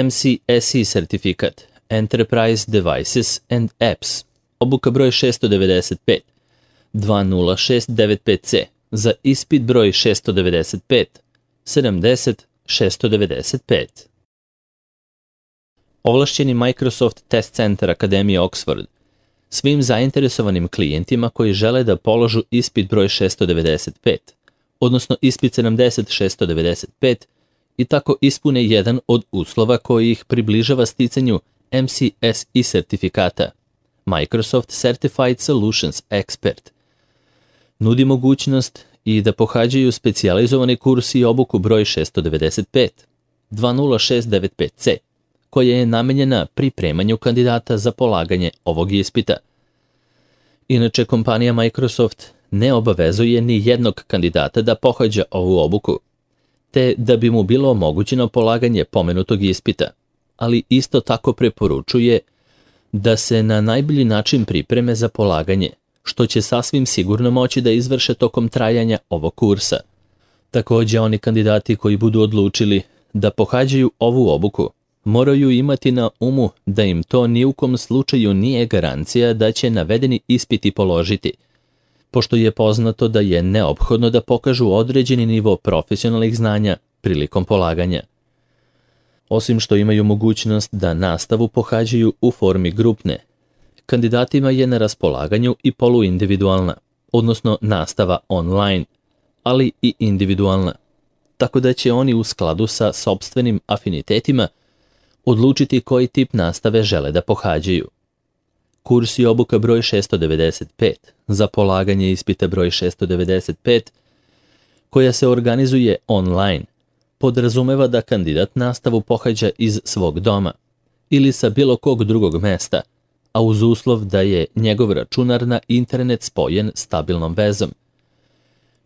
MCSE sertifikat, Enterprise Devices and Apps, obuka broj 695, 20695C, za ispit broj 695, 70-695. Ovlašćeni Microsoft Test Center Akademije Oxford svim zainteresovanim klijentima koji žele da položu ispit broj 695, odnosno ispit 70-695, i tako ispune jedan od uslova koji ih približava sticanju MCSE sertifikata, Microsoft Certified Solutions Expert. Nudi mogućnost i da pohađaju specijalizovani kurs i obuku broj 695, 20695C, koja je namenjena pripremanju kandidata za polaganje ovog ispita. Inače, kompanija Microsoft ne obavezuje ni jednog kandidata da pohađa ovu obuku, te da bi mu bilo omogućeno polaganje pomenutog ispita, ali isto tako preporučuje da se na najbolji način pripreme za polaganje, što će sasvim sigurno moći da izvrše tokom trajanja ovog kursa. Također, oni kandidati koji budu odlučili da pohađaju ovu obuku moraju imati na umu da im to ni u kom slučaju nije garancija da će navedeni ispiti položiti, pošto je poznato da je neophodno da pokažu određeni nivo profesionalnih znanja prilikom polaganja. Osim što imaju mogućnost da nastavu pohađaju u formi grupne, kandidatima je na raspolaganju i poluindividualna, odnosno nastava online, ali i individualna, tako da će oni u skladu sa sopstvenim afinitetima odlučiti koji tip nastave žele da pohađaju. Kurs i obuka broj 695 za polaganje ispita broj 695, koja se organizuje online, podrazumeva da kandidat nastavu pohađa iz svog doma ili sa bilo kog drugog mesta, a uz uslov da je njegov računar na internet spojen stabilnom vezom,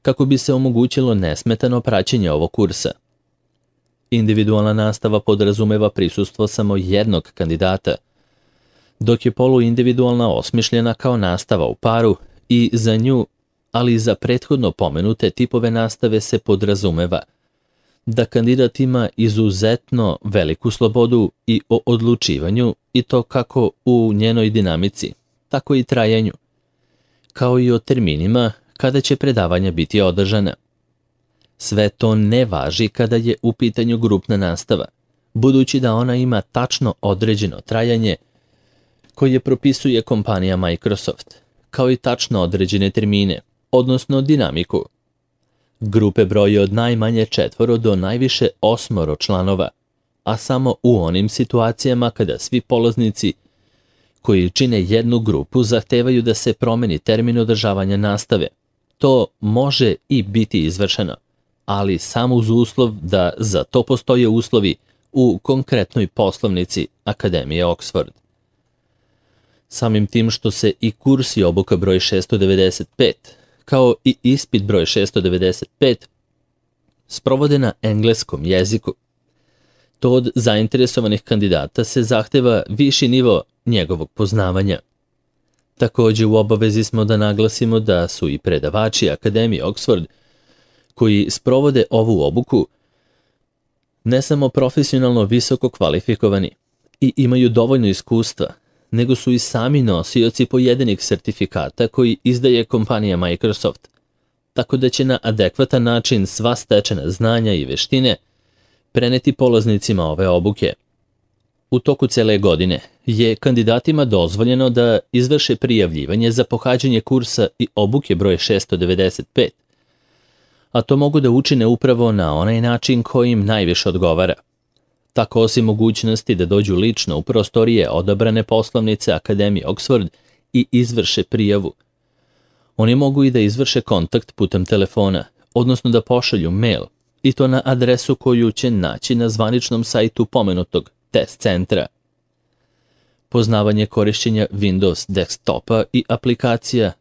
kako bi se omogućilo nesmetano praćenje ovog kursa. Individualna nastava podrazumeva prisustvo samo jednog kandidata, dok je poluindividualna osmišljena kao nastava u paru i za nju, ali i za prethodno pomenute tipove nastave se podrazumeva da kandidat ima izuzetno veliku slobodu i o odlučivanju, i to kako u njenoj dinamici, tako i trajanju, kao i o terminima kada će predavanja biti održana. Sve to ne važi kada je u pitanju grupna nastava, budući da ona ima tačno određeno trajanje koje propisuje kompanija Microsoft, kao i tačno određene termine, odnosno dinamiku. Grupe broje od najmanje 4 do najviše 8 članova, a samo u onim situacijama kada svi polaznici koji čine jednu grupu zahtevaju da se promeni termin održavanja nastave. To može i biti izvršeno, ali samo uz uslov da za to postoje uslovi u konkretnoj poslovnici Akademije Oxford. Samim tim što se i kurs i obuka broj 695, kao i ispit broj 695, sprovode na engleskom jeziku, to od zainteresovanih kandidata se zahteva viši nivo njegovog poznavanja. Također u obavezi smo da naglasimo da su i predavači Akademije Oxford koji sprovode ovu obuku ne samo profesionalno visoko kvalifikovani i imaju dovoljno iskustva, nego su i sami nosioci pojedinih sertifikata koji izdaje kompanija Microsoft, tako da će na adekvatan način sva stečena znanja i veštine preneti polaznicima ove obuke. U toku cele godine je kandidatima dozvoljeno da izvrše prijavljivanje za pohađanje kursa i obuke broj 695, a to mogu da učine upravo na onaj način koji im najviše odgovara. Tako, osim mogućnosti da dođu lično u prostorije odabrane poslovnice Akademije Oxford i izvrše prijavu, oni mogu i da izvrše kontakt putem telefona, odnosno da pošalju mail, i to na adresu koju će naći na zvaničnom sajtu pomenutog test centra. Poznavanje korišćenja Windows desktopa i aplikacija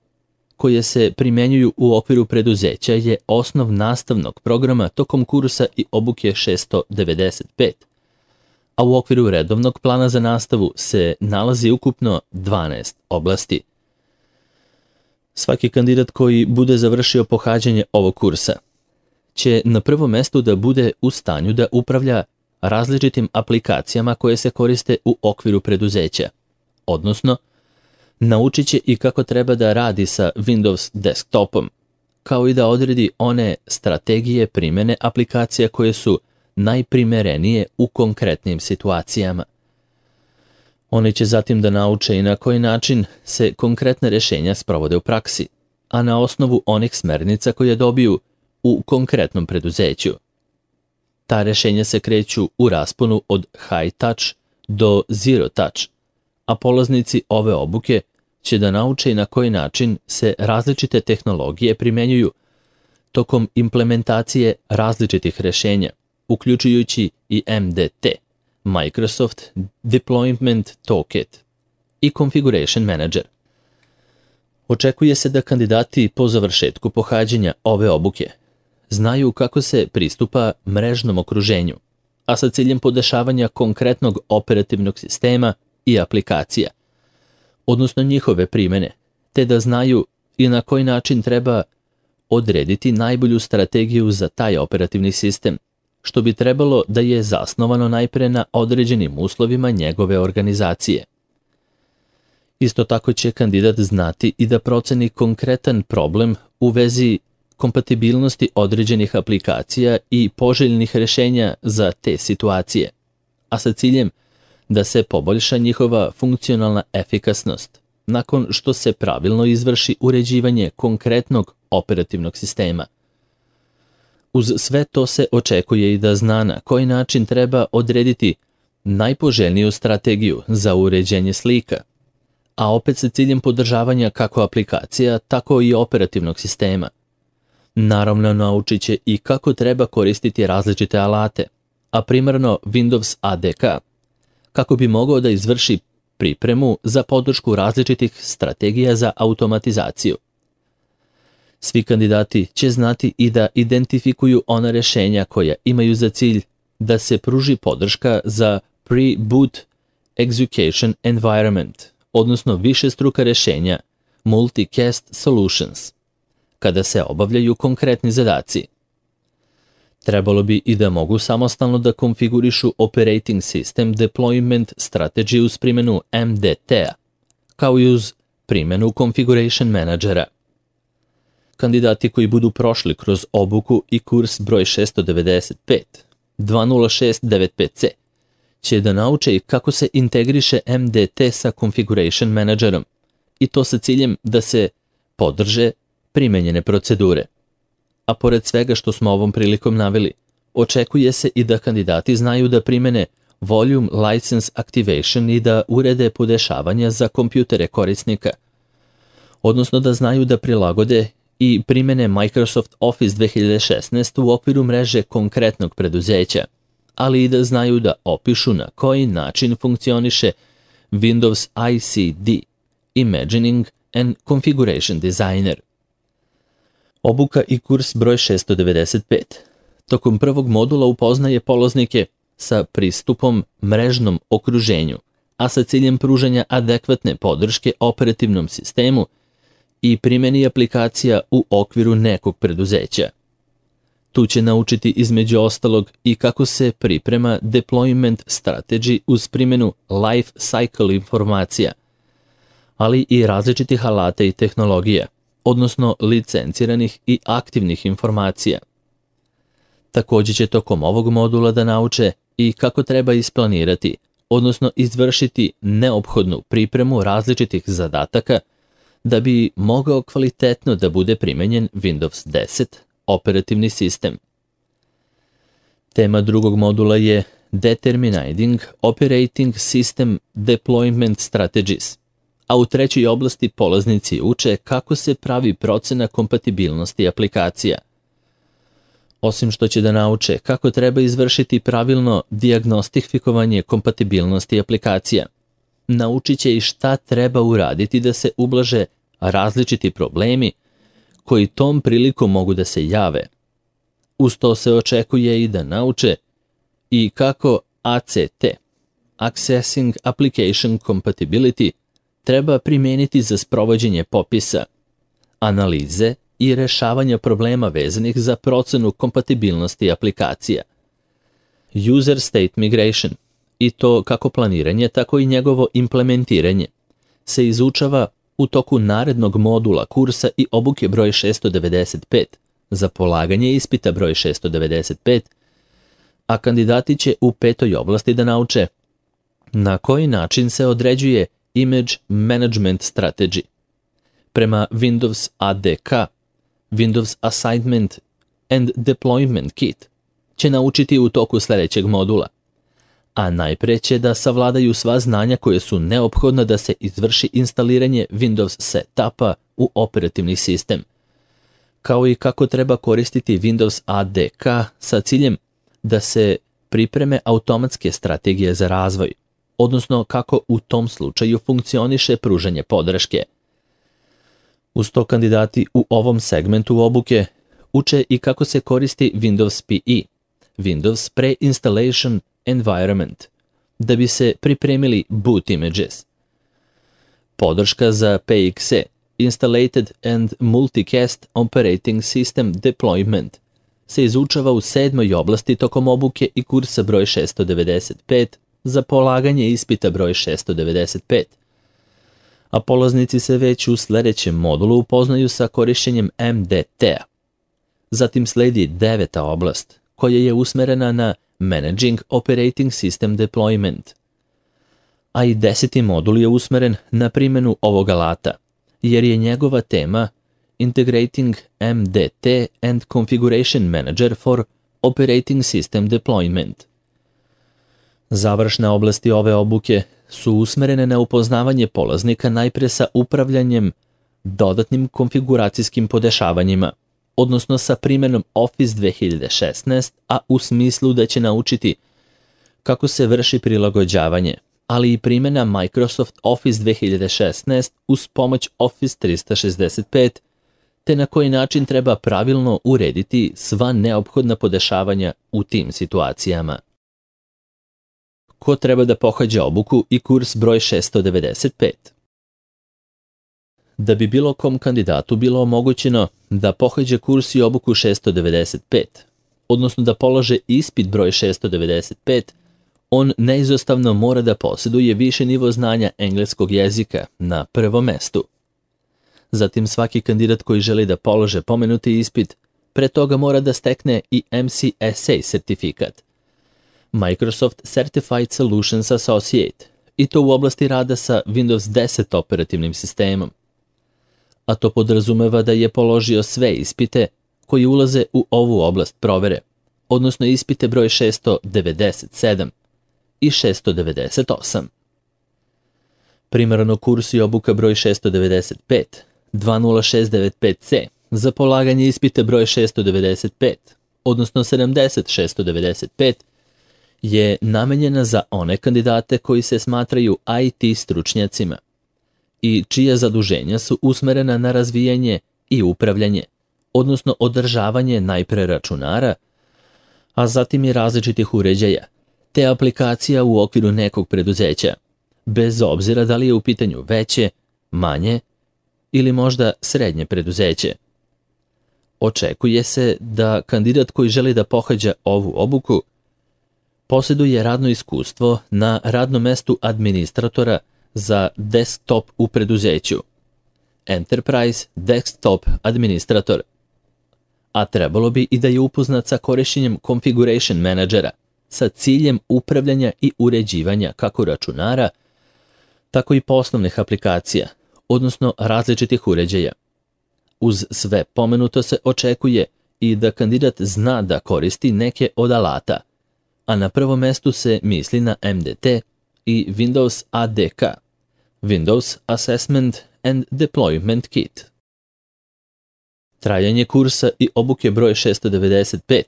koje se primjenjuju u okviru preduzeća je osnov nastavnog programa tokom kursa i obuke 695, a u okviru redovnog plana za nastavu se nalazi ukupno 12 oblasti. Svaki kandidat koji bude završio pohađanje ovog kursa će na prvom mestu da bude u stanju da upravlja različitim aplikacijama koje se koriste u okviru preduzeća, odnosno naučit će i kako treba da radi sa Windows desktopom, kao i da odredi one strategije primjene aplikacija koje su najprimerenije u konkretnim situacijama. Oni će zatim da nauče i na koji način se konkretne rješenja sprovode u praksi, a na osnovu onih smernica koje dobiju u konkretnom preduzeću. Ta rješenja se kreću u rasponu od high touch do zero touch, a polaznici ove obuke će da nauče i na koji način se različite tehnologije primjenjuju tokom implementacije različitih rješenja, uključujući i MDT, Microsoft Deployment Toolkit i Configuration Manager. Očekuje se da kandidati po završetku pohađanja ove obuke znaju kako se pristupa mrežnom okruženju, a sa ciljem podešavanja konkretnog operativnog sistema i aplikacija, odnosno njihove primjene, te da znaju i na koji način treba odrediti najbolju strategiju za taj operativni sistem, što bi trebalo da je zasnovano najpre na određenim uslovima njegove organizacije. Isto tako će kandidat znati i da proceni konkretan problem u vezi kompatibilnosti određenih aplikacija i poželjnih rješenja za te situacije, a sa ciljem da se poboljša njihova funkcionalna efikasnost nakon što se pravilno izvrši uređivanje konkretnog operativnog sistema. Uz sve to se očekuje i da zna na koji način treba odrediti najpoželjniju strategiju za uređenje slika, a opet sa ciljem podržavanja kako aplikacija, tako i operativnog sistema. Naravno, naučit će i kako treba koristiti različite alate, a primarno Windows ADK, kako bi mogao da izvrši pripremu za podršku različitih strategija za automatizaciju. Svi kandidati će znati i da identifikuju ona rješenja koja imaju za cilj da se pruži podrška za pre-boot execution environment, odnosno višestruka rješenja multicast solutions, kada se obavljaju konkretni zadaci. Trebalo bi i da mogu samostalno da konfigurišu Operating System Deployment Strategy uz primjenu MDT-a, kao i uz primjenu Configuration Managera. Kandidati koji budu prošli kroz obuku i kurs broj 695, 20695C, će da nauče i kako se integriše MDT sa Configuration Managerom, i to sa ciljem da se podrže primenjene procedure. A pored svega što smo ovom prilikom naveli, očekuje se i da kandidati znaju da primene Volume License Activation i da urede podešavanja za kompjutere korisnika, odnosno da znaju da prilagode i primene Microsoft Office 2016 u okviru mreže konkretnog preduzeća, ali i da znaju da opišu na koji način funkcioniše Windows ICD, Imagining and Configuration Designer. Obuka i kurs broj 695. Tokom prvog modula upoznaje polaznike sa pristupom mrežnom okruženju, a sa ciljem pružanja adekvatne podrške operativnom sistemu i primjeni aplikacija u okviru nekog preduzeća. Tu će naučiti između ostalog i kako se priprema deployment strategy uz primjenu life cycle informacija, ali i različitih alata i tehnologija, odnosno licenciranih i aktivnih informacija. Također će tokom ovog modula da nauče i kako treba isplanirati, odnosno izvršiti neophodnu pripremu različitih zadataka da bi mogao kvalitetno da bude primenjen Windows 10 operativni sistem. Tema drugog modula je Determining Operating System Deployment Strategies, a u trećoj oblasti polaznici uče kako se pravi procena kompatibilnosti aplikacija. Osim što će da nauče kako treba izvršiti pravilno dijagnostifikovanje kompatibilnosti aplikacija, naučit će i šta treba uraditi da se ublaže različiti problemi koji tom prilikom mogu da se jave. Uz to se očekuje i da nauče i kako ACT, Accessing Application Compatibility, treba primijeniti za sprovođenje popisa, analize i rješavanja problema vezanih za procenu kompatibilnosti aplikacija. User State Migration, i to kako planiranje, tako i njegovo implementiranje, se izučava u toku narednog modula kursa i obuke broj 695 za polaganje ispita broj 695, a kandidati će u 5. oblasti da nauče na koji način se određuje Image Management Strategy. Prema Windows ADK, Windows Assignment and Deployment Kit će naučiti u toku sljedećeg modula, a najpre će da savladaju sva znanja koje su neophodna da se izvrši instaliranje Windows setupa u operativni sistem, kao i kako treba koristiti Windows ADK sa ciljem da se pripreme automatske strategije za razvoj, odnosno kako u tom slučaju funkcioniše pružanje podrške. Uz to kandidati u ovom segmentu obuke uče i kako se koristi Windows PE, Windows Pre-Installation Environment, da bi se pripremili boot images. Podrška za PXE, Installated and Multicast Operating System Deployment, se izučava u 7. oblasti tokom obuke i kursa broj 695 za polaganje ispita broj 695. A polaznici se već u sljedećem modulu upoznaju sa korišćenjem MDT-a. Zatim sledi 9. oblast, koja je usmerena na Managing Operating System Deployment. A i 10. modul je usmeren na primjenu ovog alata, jer je njegova tema Integrating MDT and Configuration Manager for Operating System Deployment. Završne oblasti ove obuke su usmerene na upoznavanje polaznika najpre sa upravljanjem dodatnim konfiguracijskim podešavanjima, odnosno sa primjenom Office 2016, a u smislu da će naučiti kako se vrši prilagođavanje, ali i primjena Microsoft Office 2016 uz pomoć Office 365, te na koji način treba pravilno urediti sva neophodna podešavanja u tim situacijama. Ko treba da pohađa obuku i kurs broj 695? Da bi bilo kom kandidatu bilo omogućeno da pohađa kurs i obuku 695, odnosno da polože ispit broj 695, on neizostavno mora da posjeduje više nivo znanja engleskog jezika na prvom mestu. Zatim svaki kandidat koji želi da polože pomenuti ispit, pre toga mora da stekne i MCSA sertifikat, Microsoft Certified Solutions Associate, i to u oblasti rada sa Windows 10 operativnim sistemom. A to podrazumeva da je položio sve ispite koji ulaze u ovu oblast provere, odnosno ispite broj 697 i 698. Primarno kurs i obuka broj 695, 20695C za polaganje ispite broj 695, odnosno 70695, je namenjena za one kandidate koji se smatraju IT stručnjacima i čija zaduženja su usmerena na razvijanje i upravljanje, odnosno održavanje najpre računara, a zatim i različitih uređaja, te aplikacija u okviru nekog preduzeća, bez obzira da li je u pitanju veće, manje ili možda srednje preduzeće. Očekuje se da kandidat koji želi da pohađa ovu obuku posjeduje radno iskustvo na radnom mestu administratora za desktop u preduzeću, Enterprise Desktop Administrator, a trebalo bi i da je upoznat sa korišćenjem Configuration Managera sa ciljem upravljanja i uređivanja kako računara, tako i poslovnih aplikacija, odnosno različitih uređaja. Uz sve pomenuto se očekuje i da kandidat zna da koristi neke od alata, a na prvom mestu se misli na MDT i Windows ADK, Windows Assessment and Deployment Kit. Trajanje kursa i obuke broj 695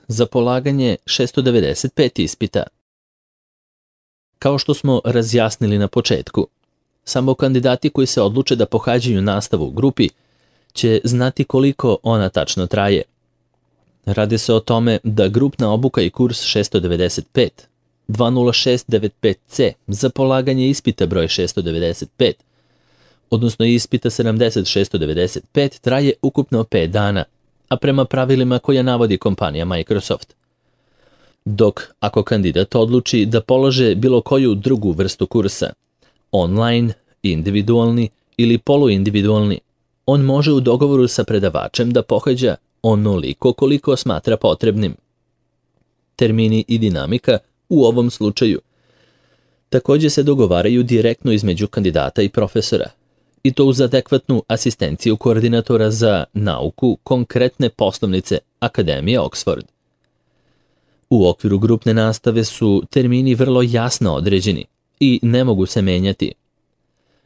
za polaganje 695 ispita. Kao što smo razjasnili na početku, samo kandidati koji se odluče da pohađaju nastavu u grupi će znati koliko ona tačno traje. Radi se o tome da grupna obuka i kurs 695, 20695C za polaganje ispita broj 695, odnosno ispita 70695, traje ukupno 5 dana, a prema pravilima koja navodi kompanija Microsoft. Dok ako kandidat odluči da polaže bilo koju drugu vrstu kursa, online, individualni ili poluindividualni, on može u dogovoru sa predavačem da pohađa onoliko koliko smatra potrebnim. Termini i dinamika u ovom slučaju također se dogovaraju direktno između kandidata i profesora, i to uz adekvatnu asistenciju koordinatora za nauku konkretne poslovnice Akademije Oxford. U okviru grupne nastave su termini vrlo jasno određeni i ne mogu se menjati,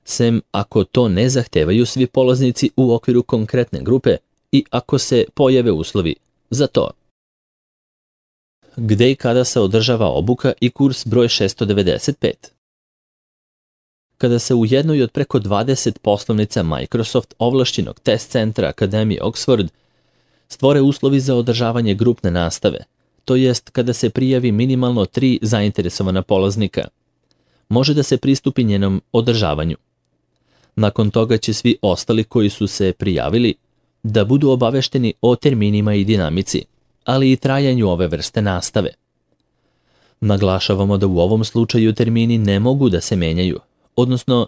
sem ako to ne zahtevaju svi polaznici u okviru konkretne grupe i ako se pojave uslovi za to. Gde i kada se održava obuka i kurs broj 695? Kada se u jednoj od preko 20 poslovnica Microsoft ovlašćenog test centra Akademije Oxford stvore uslovi za održavanje grupne nastave, to jest kada se prijavi minimalno 3 zainteresovana polaznika, može da se pristupi njenom održavanju. Nakon toga će svi ostali koji su se prijavili da budu obavešteni o terminima i dinamici, ali i trajanju ove vrste nastave. Naglašavamo da u ovom slučaju termini ne mogu da se menjaju, odnosno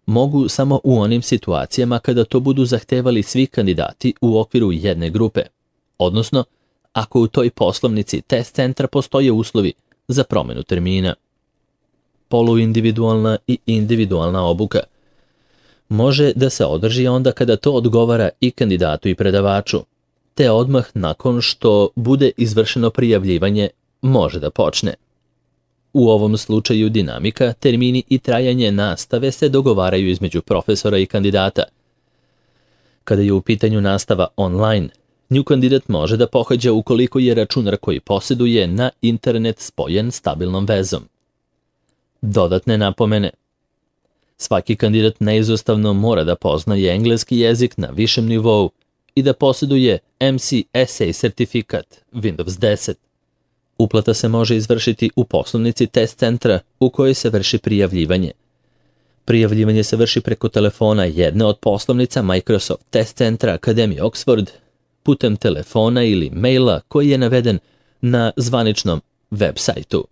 mogu samo u onim situacijama kada to budu zahtevali svi kandidati u okviru jedne grupe, odnosno ako u toj poslovnici test centra postoje uslovi za promenu termina. Poluindividualna i individualna obuka može da se održi onda kada to odgovara i kandidatu i predavaču, te odmah nakon što bude izvršeno prijavljivanje može da počne. U ovom slučaju dinamika, termini i trajanje nastave se dogovaraju između profesora i kandidata. Kada je u pitanju nastava online, nju kandidat može da pohađa ukoliko je računar koji posjeduje na internet spojen stabilnom vezom. Dodatne napomene. Svaki kandidat neizostavno mora da poznaje engleski jezik na višem nivou i da posjeduje MCSA sertifikat Windows 10. Uplata se može izvršiti u poslovnici test centra u kojoj se vrši prijavljivanje. Prijavljivanje se vrši preko telefona jedne od poslovnica Microsoft test centra Akademije Oxford, putem telefona ili maila koji je naveden na zvaničnom web sajtu.